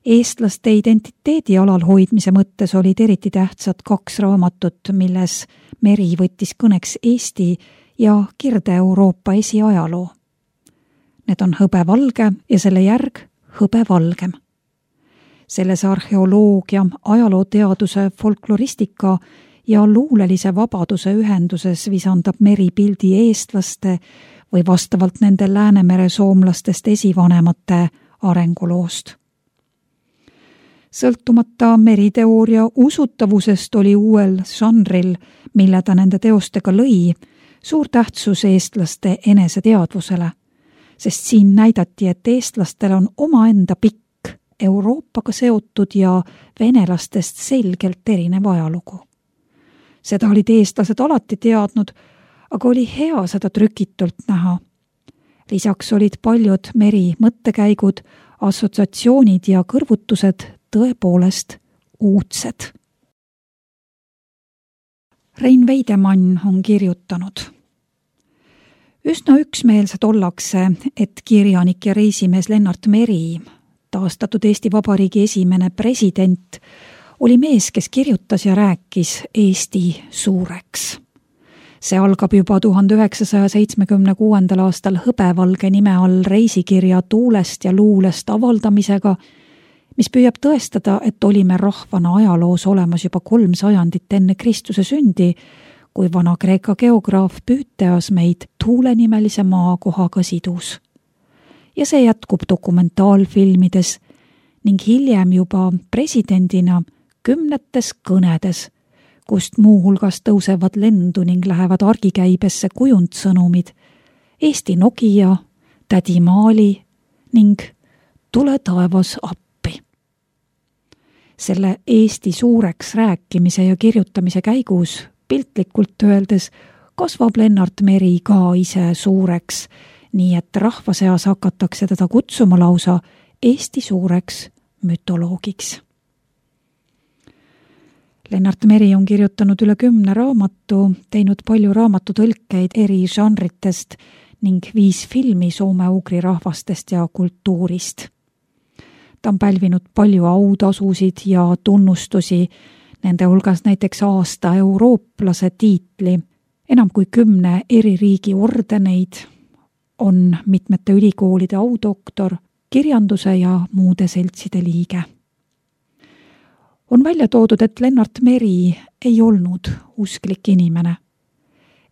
Eestlaste identiteedi alal hoidmise mõttes olid eriti tähtsad 2 raamatut, milles Meri võttis kõneks Eesti ja Kirde-Euroopa esiajaloo. Need on Hõbevalge ja selle järg Hõbevalgem. Selles arheoloogia, ajalooteaduse, folkloristika ja luulelise vabaduse ühenduses visandab Meri pildi eestlaste või vastavalt nende Läänemere soomlastest esivanemate arenguloost. Sõltumata Meri teooria usutavusest oli uuel žanril, mille ta nende teostega lõi, suur tähtsus eestlaste eneseteadvusele, sest siin näidati, et eestlastel on omaenda pikk, Euroopaga seotud ja venelastest selgelt erinev ajalugu. Seda olid eestlased alati teadnud, aga oli hea seda trükitult näha. Lisaks olid paljud Meri mõttekäigud, assotsiatsioonid ja kõrvutused tõepoolest uudsed. Rein Veidemann on kirjutanud. Üsna üksmeelsed ollakse, et kirjanik ja reisimees Lennart Meri, taastatud Eesti Vabariigi esimene president, oli mees, kes kirjutas ja rääkis Eesti suureks. See algab juba 1976. aastal Hõbevalge nime all reisikirja Tuulest ja luulest avaldamisega, mis püüab tõestada, et olime rahvana ajaloos olemas juba 3 sajandit enne Kristuse sündi, kui Vana-Kreeka geograaf Püüteas meid tuulenimelise maakohaga sidus. Ja see jätkub dokumentaalfilmides ning hiljem juba presidendina 10 kõnedes, kust muuhulgas tõusevad lendu ning lähevad argikäibesse kujundsõnumid Eesti Nokia, Tädi Maali ning Tule taevas appi. Selle Eesti suureks rääkimise ja kirjutamise käigus, piltlikult öeldes, kasvab Lennart Meri ka ise suureks, nii et rahva seas hakatakse teda kutsuma lausa Eesti suureks mütoloogiks. Lennart Meri on kirjutanud üle 10 raamatu, teinud palju raamatutõlkeid eri žanritest ning 5 filmi soome-ugri rahvastest ja kultuurist. Ta on pälvinud palju autasusid ja tunnustusi, nende hulgas näiteks aasta eurooplase tiitli, enam kui 10 eri riigi ordeneid, on mitmete ülikoolide audoktor, kirjanduse ja muude seltside liige. On välja toodud, et Lennart Meri ei olnud usklik inimene.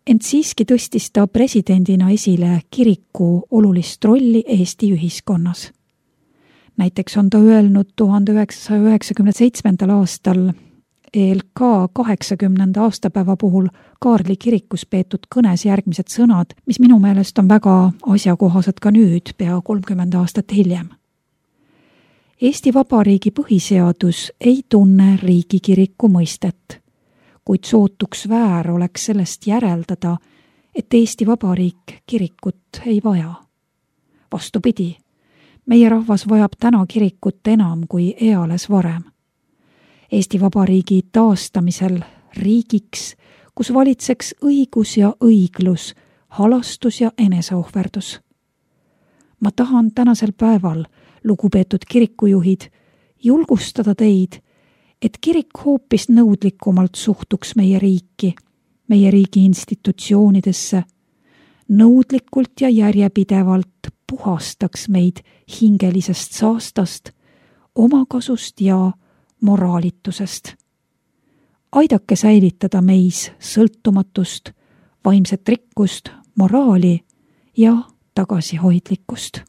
Ent siiski tõstis ta presidendina esile kiriku olulist rolli Eesti ühiskonnas. Näiteks on ta öelnud 1997. aastal ELK 80. aastapäeva puhul Kaarli kirikus peetud kõnes järgmised sõnad, mis minu meelest on väga asjakohased ka nüüd, pea 30 aastat hiljem. Eesti Vabariigi põhiseadus ei tunne riigikiriku mõistet, kuid sootuks väär oleks sellest järeldada, et Eesti Vabariik kirikut ei vaja. Vastupidi, meie rahvas vajab täna kirikut enam kui eales varem. Eesti Vabariigi taastamisel riigiks, kus valitseks õigus ja õiglus, halastus ja eneseohverdus. Ma tahan tänasel päeval, lugupeetud kirikujuhid, julgustada teid, et kirik hoopis nõudlikumalt suhtuks meie riigi institutsioonidesse, nõudlikult ja järjepidevalt puhastaks meid hingelisest saastast, omakasust ja moraalitusest. Aidake säilitada meis sõltumatust, vaimset rikkust, moraali ja tagasihoidlikkust.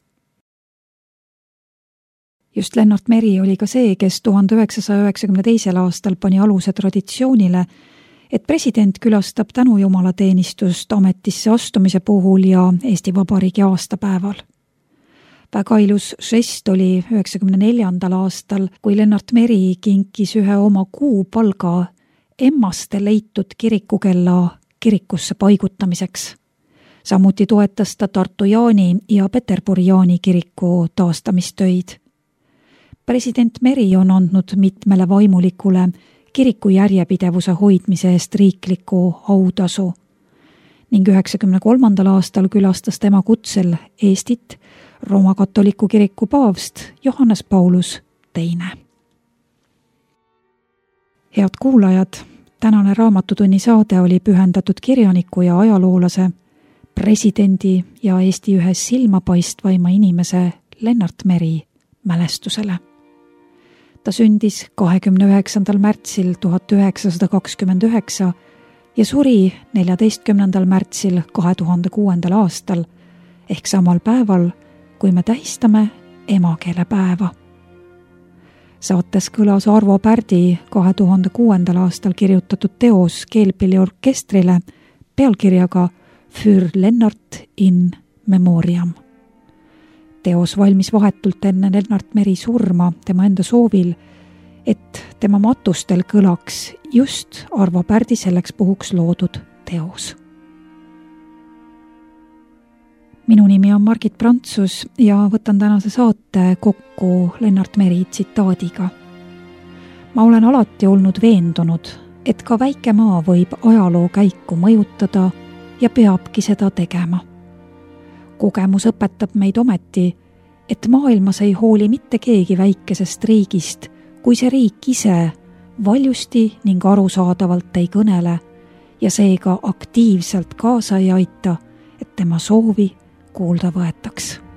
Just Lennart Meri oli ka see, kes 1992. aastal pani aluse traditsioonile, et president külastab tänujumalateenistust ametisse astumise puhul ja Eesti Vabariigi aastapäeval. Väga ilus žest oli 1994. aastal, kui Lennart Meri kinkis ühe oma kuupalga Emmaste leitud kirikukella kirikusse paigutamiseks. Samuti toetas ta Tartu Jaani ja Peterburi Jaani kiriku taastamistöid. President Meri on andnud mitmele vaimulikule kiriku järjepidevuse hoidmise eest riikliku autasu ning 1993. aastal külastas tema kutsel Eestit Rooma-katoliku kiriku paavst Johannes Paulus II. Head kuulajad, tänane Raamatutunni saade oli pühendatud kirjaniku ja ajaloolase, presidendi ja Eesti ühe silmapaistvaima inimese Lennart Meri mälestusele. Ta sündis 29. märtsil 1929 ja suri 14. märtsil 2006. aastal ehk samal päeval, kui me tähistame emakeelepäeva. Saates kõlas Arvo Pärdi 2006. aastal kirjutatud teos keelpilliorkestrile pealkirjaga Für Lennart in Memoriam. Teos valmis vahetult enne Lennart Meri surma tema enda soovil, et tema matustel kõlaks just Arvo Pärdi selleks puhuks loodud teos. Minu nimi on Margit Prantsus ja võtan tänase saate kokku Lennart Meri tsitaadiga. Ma olen alati olnud veendunud, et ka väike maa võib ajaloo käiku mõjutada ja peabki seda tegema. Kogemus õpetab meid ometi, et maailmas ei hooli mitte keegi väikesest riigist, kui see riik ise valjusti ning arusaadavalt ei kõnele ja seega aktiivselt kaasa ei aita, et tema soovi kuulda võetaks.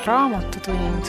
Raamatutund.